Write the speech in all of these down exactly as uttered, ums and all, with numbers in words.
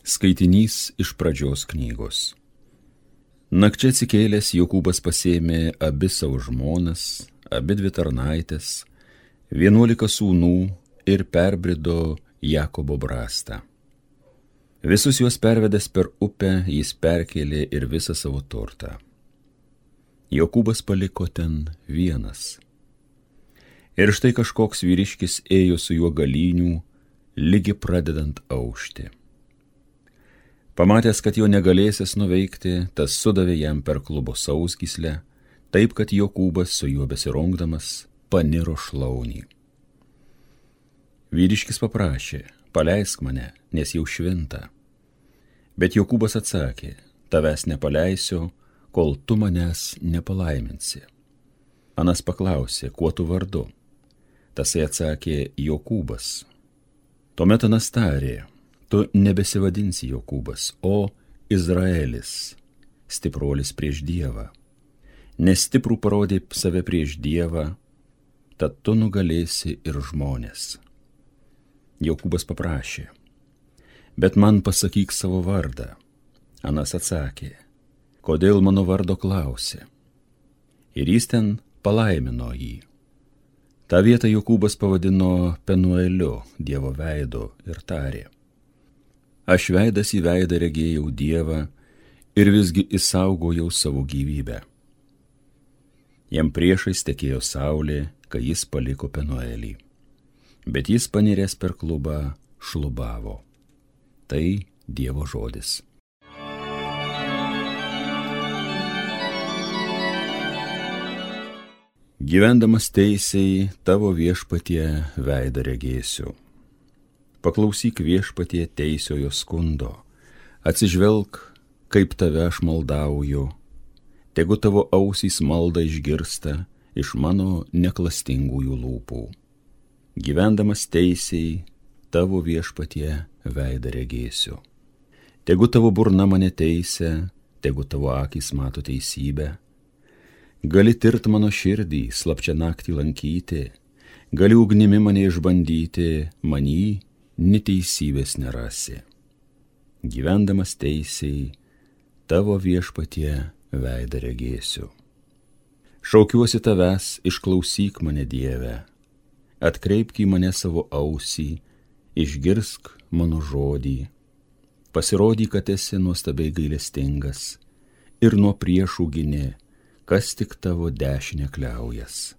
Skaitinys iš pradžios knygos. Nakčia atsikėlęs Jokūbas pasėmė abi savo žmonas, abi dvi tarnaitės, vienuolika sūnų ir perbrido Jakobo brastą. Visus juos pervedęs per upę, jis perkėlė ir visą savo turtą. Jokūbas paliko ten vienas. Ir štai kažkoks vyriškis ėjo su juo galynių, lygi pradedant aušti. Pamatęs, kad jo negalėsis nuveikti, tas sudavė jam per klubo sausgyslę, taip, kad Jokūbas su juo besirungdamas paniro šlaunį. Vyriškis paprašė, paleisk mane, nes jau švinta. Bet Jokūbas atsakė, tavęs nepaleisiu, kol tu manęs nepalaiminsi. Anas paklausė, kuo tu vardu? Tasai atsakė, Jokūbas. Tuomet Anas tarė, tu nebesivadinsi Jokūbas, o Izraelis, stipruolis prieš Dievą. Nes stiprų parodė save prieš Dievą, tad tu nugalėsi ir žmonės. Jokūbas paprašė, bet man pasakyk savo vardą. Anas atsakė, kodėl mano vardo klausi? Ir jis ten palaimino jį. Ta vietą Jokūbas pavadino Penueliu, Dievo veidu, ir tarė, aš veidas į veidą regėjau Dievą ir visgi išsaugojau savo gyvybę. Jam priešais tekėjo saulė, kai jis paliko Penuelį, bet jis paniręs per klubą šlubavo. Tai Dievo žodis. Gyvendamas teisiai tavo viešpatie veidą regėsiu. Paklausyk viešpatie teisiojo skundo, atsižvelk, kaip tave aš maldauju, tegu tavo ausys maldą išgirsta iš mano neklastingųjų lūpų. Gyvendamas teisiai tavo viešpatie veidą regėsiu. Tegu tavo burna mane teisia, tegu tavo akys mato teisybę. Gali tirt mano širdį, slapčia naktį lankyti, gali ugnimi mane išbandyti, manį neteisybės nerasi. Gyvendamas teisiai, tavo viešpatie veidą regėsiu. Šaukiuosi tavęs, išklausyk mane Dieve, atkreipk į mane savo ausį, išgirsk mano žodį, pasirodyk, kad esi nuostabiai gailestingas ir nuo priešų gini, kas tik tavo dešinę kliaujas.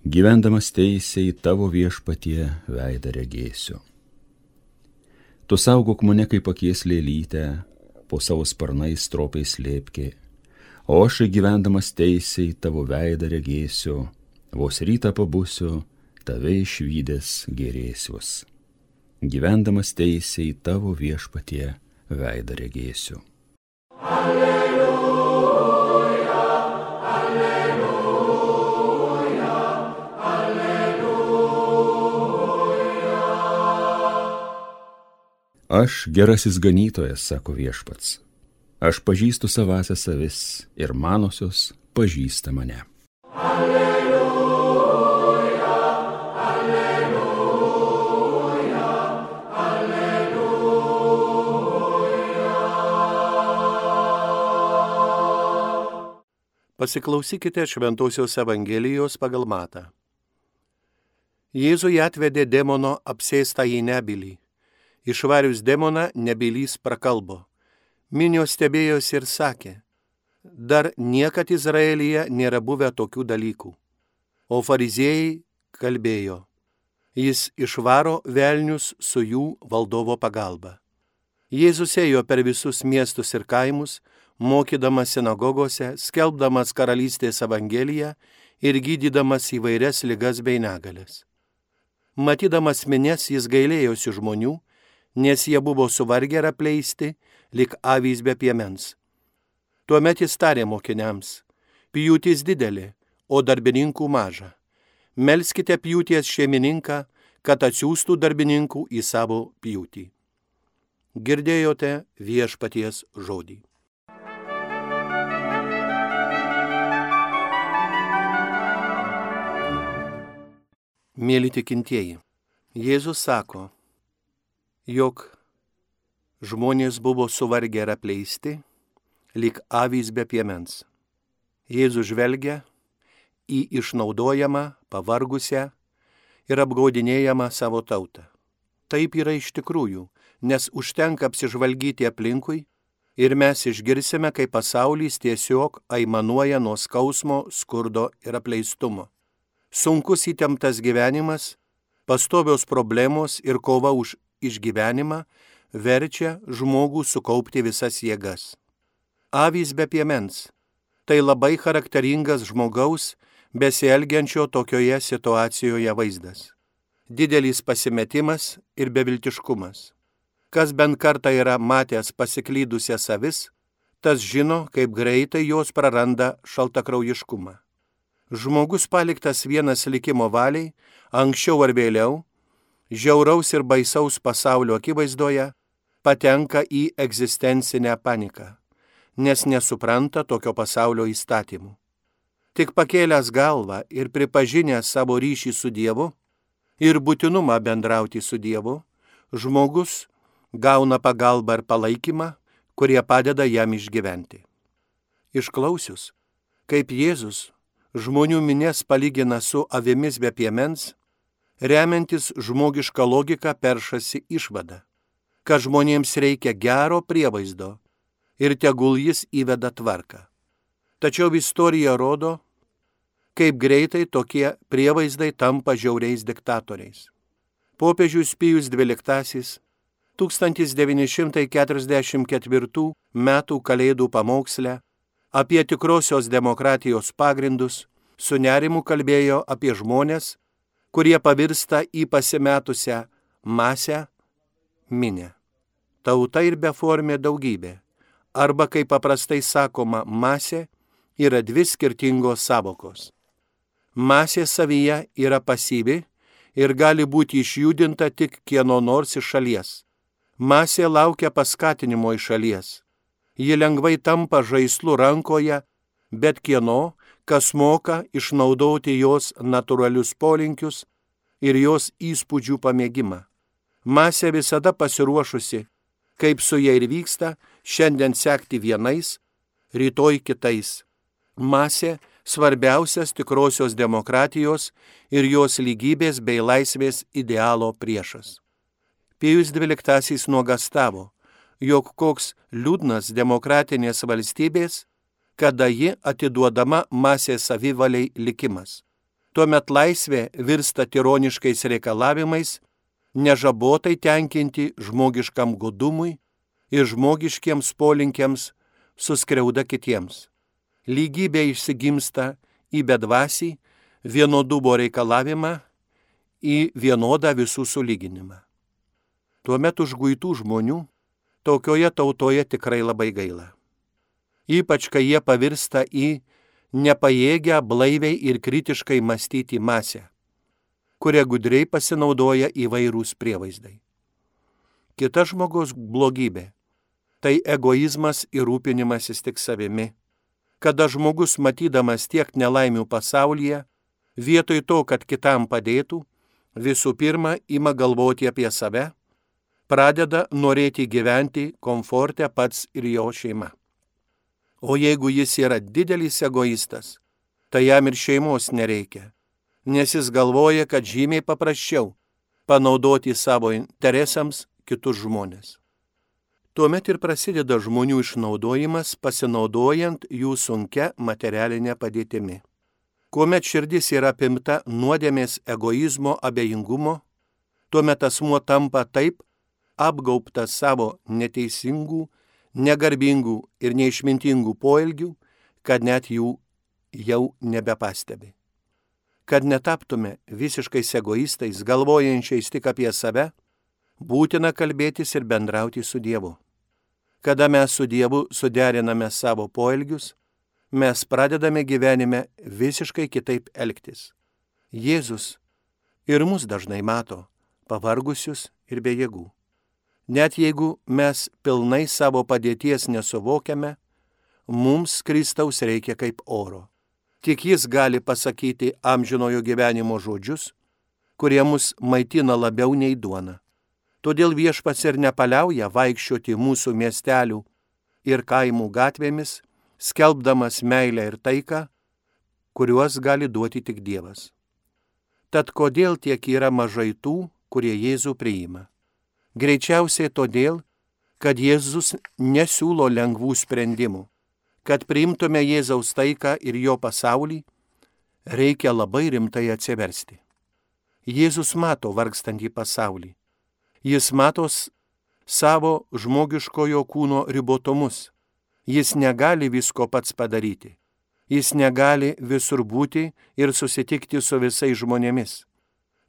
Gyvendamas teisiai tavo viešpatie veidą regėsiu. Tu saugok mane kaip akies lėlytę, po savo sparnais stropiai slėpki, o aš gyvendamas teisiai tavo veidą regėsiu, vos rytą pabusiu, tave išvydęs gerėsiuos. Gyvendamas teisiai tavo viešpatie veidą regėsiu. Alleluja. Aš gerasis ganytojas, sako viešpats. Aš pažįstu savąsias avis ir manosios pažįsta mane. Alleluja, alleluja, alleluja. Pasiklausykite Šventosios Evangelijos pagal Matą. Jėzui atvedė demono apsėstą į nebylį. Išvarius demoną, nebylys prakalbo. Minios stebėjosi ir sakė, dar niekad Izraelyje nėra buvę tokių dalykų. O fariziejai kalbėjo, jis išvaro velnius su jų valdovo pagalba. Jėzus ėjo per visus miestus ir kaimus, mokydamas sinagogose, skelbdamas karalystės evangeliją ir gydydamas įvairias ligas bei negalias. Matydamas minias, jis gailėjosi žmonių, nes jie buvo suvargę ir apleisti, lyg avys be piemens. Tuomet jis tarė mokiniams, pjūtis didelė, o darbininkų maža. Melskite pjūties šeimininką, kad atsiųstų darbininkų į savo pjūtį. Girdėjote viešpaties žodį. Mėly tikintieji, Jėzus sako, jog Žmonės buvo suvargę ir apleisti, lyg avys be piemens. Jėzus žvelgia į išnaudojamą, pavargusią ir apgaudinėjamą savo tautą. Taip yra iš tikrųjų, nes užtenka apsižvalgyti aplinkui ir mes išgirsime, kaip pasaulis tiesiog aimanuoja nuo skausmo, skurdo ir apleistumo. Sunkus įtemptas gyvenimas, pastovios problemos ir kova už išgyvenimą verčia žmogų sukaupti visas jėgas. Avys be piemens – tai labai charakteringas žmogaus besielgiančio tokioje situacijoje vaizdas. Didelis pasimetimas ir beviltiškumas. Kas bent kartą yra matęs pasiklydusias avis, tas žino, kaip greitai jos praranda šaltakraujiškumą. Žmogus paliktas vienas likimo valiai, anksčiau ar vėliau, žiauraus ir baisaus pasaulio akivaizdoje, patenka į egzistencinę paniką, nes nesupranta tokio pasaulio įstatymų. Tik pakėlęs galvą ir pripažinęs savo ryšį su Dievu ir būtinumą bendrauti su Dievu, žmogus gauna pagalbą ir palaikymą, kurie padeda jam išgyventi. Išklausius, kaip Jėzus žmonių minias palygina su avimis be piemens, remiantis žmogišką logiką peršasi išvada, kad žmonėms reikia gero prievaizdo ir tegul jis įveda tvarką. Tačiau istorija rodo, kaip greitai tokie prievaizdai tampa žiauriais diktatoriais. Popiežius Pijus dvyliktasis tūkstantis devyni šimtai keturiasdešimt ketvirtų metų Kalėdų pamoksle apie tikrosios demokratijos pagrindus su nerimu kalbėjo apie žmones, kurie pavirsta į pasimetusią masę, minią. Tauta ir beformė daugybė, arba kaip paprastai sakoma, masė yra dvi skirtingos savokos. Masė savyje yra pasyvi ir gali būti išjudinta tik kieno nors iš šalies. Masė laukia paskatinimo iš šalies. Ji lengvai tampa žaislu rankoje, bet kieno, kas moka išnaudoti jos natūralius polinkius ir jos įspūdžių pamėgimą. Masė visada pasiruošusi, kaip su ja ir vyksta, šiandien sekti vienais, rytoj kitais. Masė svarbiausias tikrosios demokratijos ir jos lygybės bei laisvės idealo priešas. Pijus dvyliktasis nuogastavo, jog koks liūdnas demokratinės valstybės, kada ji atiduodama masės savivaliai likimas. Tuomet laisvė virsta tironiškais reikalavimais, nežabotai tenkinti žmogiškam godumui ir žmogiškiems polinkiams suskriauda kitiems. Lygybė išsigimsta į bedvasį, vienodumo reikalavimą, į vienodą visų sulyginimą. Tuomet užguitų žmonių tokioje tautoje tikrai labai gaila. Ypač, kai jie pavirsta į nepajėgę blaiviai ir kritiškai mąstyti masę, kuria gudriai pasinaudoja įvairūs prievaizdai. Kita žmogaus blogybė – tai egoizmas ir rūpinimasis tik savimi. Kada žmogus, matydamas tiek nelaimių pasaulyje, vietoj to, kad kitam padėtų, visų pirma ima galvoti apie save, pradeda norėti gyventi komforte pats ir jo šeima. O jeigu jis yra didelis egoistas, tai jam ir šeimos nereikia, nes jis galvoja, kad žymiai paprasčiau panaudoti savo interesams kitus žmonės. Tuomet ir prasideda žmonių išnaudojimas, pasinaudojant jų sunkia materialinė padėtimi. Kuomet širdis yra apimta nuodėmės, egoizmo, abejingumo, tuomet asmuo tampa taip apgaubtas savo neteisingų, negarbingų ir neišmintingų poelgių, kad net jų jau nebepastebi. Kad netaptume visiškais egoistais, galvojančiais tik apie save, būtina kalbėtis ir bendrauti su Dievu. Kada mes su Dievu suderiname savo poelgius, mes pradedame gyvenime visiškai kitaip elgtis. Jėzus ir mus dažnai mato, pavargusius ir be jėgų. Net jeigu mes pilnai savo padėties nesuvokiame, mums Kristaus reikia kaip oro. Tik jis gali pasakyti amžinojo gyvenimo žodžius, kurie mus maitina labiau nei duona. Todėl Viešpats ir nepaliauja vaikščioti mūsų miestelių ir kaimų gatvėmis, skelbdamas meilę ir taiką, kuriuos gali duoti tik Dievas. Tad kodėl tiek yra mažai tų, kurie Jėzų priima? Greičiausiai todėl, kad Jėzus nesiūlo lengvų sprendimų. Kad priimtume Jėzaus taiką ir jo pasaulį, reikia labai rimtai atsiversti. Jėzus mato vargstantį pasaulį. Jis mato savo žmogiškojo kūno ribotumus. Jis negali visko pats padaryti. Jis negali visur būti ir susitikti su visais žmonėmis.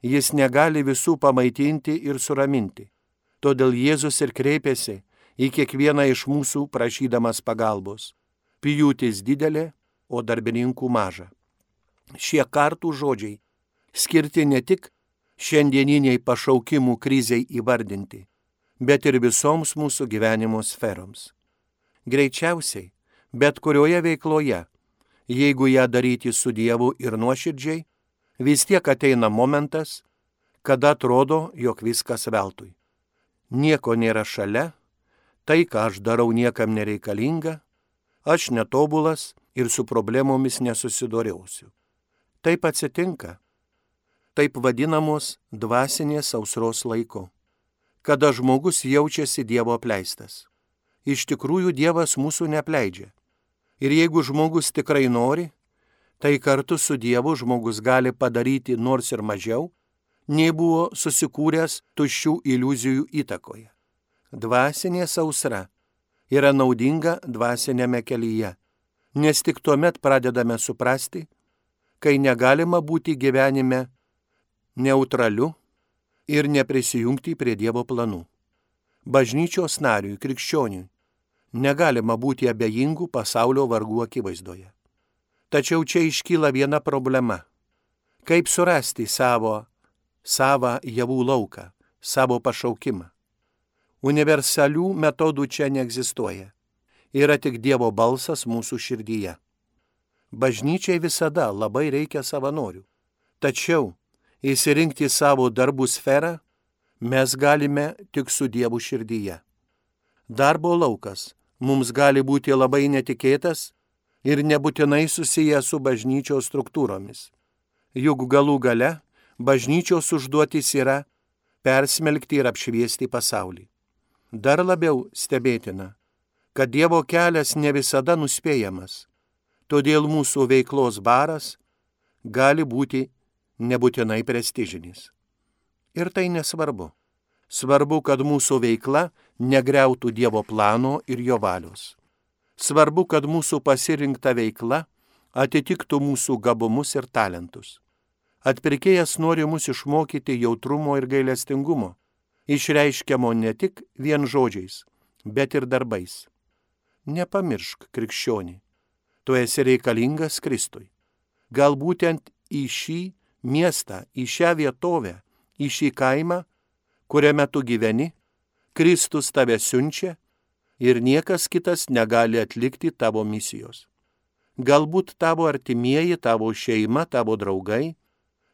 Jis negali visų pamaitinti ir suraminti. Todėl Jėzus ir kreipėsi į kiekvieną iš mūsų prašydamas pagalbos. Pjūtis didelė, o darbininkų maža. Šie kartų žodžiai skirti ne tik šiandieniniai pašaukimų krizei įvardinti, bet ir visoms mūsų gyvenimo sferoms. Greičiausiai, bet kurioje veikloje, jeigu ją daryti su Dievu ir nuoširdžiai, vis tiek ateina momentas, kada atrodo, jog viskas veltui. Nieko nėra šalia, tai, ką aš darau, niekam nereikalinga, aš netobulas ir su problemomis nesusidoriausiu. Taip atsitinka, taip vadinamos dvasinės sausros laiku, kada žmogus jaučiasi Dievo apleistas. Iš tikrųjų Dievas mūsų neapleidžia. Ir jeigu žmogus tikrai nori, tai kartu su Dievu žmogus gali padaryti nors ir mažiau, nei buvo susikūręs tuščių iliuzijų įtakoje. Dvasinė sausra yra naudinga dvasinėme kelyje, nes tik tuomet pradedame suprasti, kai negalima būti gyvenime neutraliu ir neprisijungti prie Dievo planų. Bažnyčios nariui, krikščioniui, negalima būti abejingų pasaulio vargų akivaizdoje. Tačiau čia iškyla viena problema. Kaip surasti savo, savą javų lauką, savo pašaukimą? Universalių metodų čia neegzistuoja. Yra tik Dievo balsas mūsų širdyje. Bažnyčiai visada labai reikia savanorių. Tačiau įsirinkti savo darbų sferą mes galime tik su Dievu širdyje. Darbo laukas mums gali būti labai netikėtas ir nebūtinai susijęs su bažnyčios struktūromis. Juk galų gale bažnyčios užduotis yra persmelkti ir apšviesti pasaulį. Dar labiau stebėtina, kad Dievo kelias ne visada nuspėjamas, todėl mūsų veiklos baras gali būti nebūtinai prestižinis. Ir tai nesvarbu. Svarbu, kad mūsų veikla negriautų Dievo plano ir jo valios. Svarbu, kad mūsų pasirinkta veikla atitiktų mūsų gabumus ir talentus. Atpirkėjas nori mus išmokyti jautrumo ir gailestingumo, išreiškiamo ne tik vien žodžiais, bet ir darbais. Nepamiršk, krikščionį, tu esi reikalingas Kristui. Gal būtent į šį miestą, į šią vietovę, į šį kaimą, kuriame tu gyveni, Kristus tave siunčia ir niekas kitas negali atlikti tavo misijos. Galbūt tavo artimieji, tavo šeima, tavo draugai,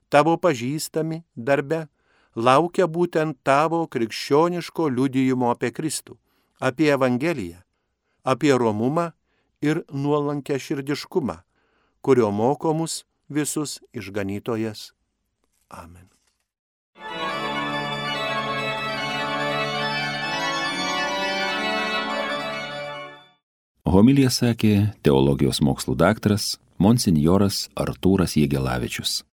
tavo pažįstami darbe laukia būtent tavo krikščioniško liudijimo apie Kristų, apie Evangeliją, apie romumą ir nuolankę širdiškumą, kurio moko mus visus išganytojas. Amen. Homiliją sakė teologijos mokslų daktaras monsinjoras Artūras Jegelavičius.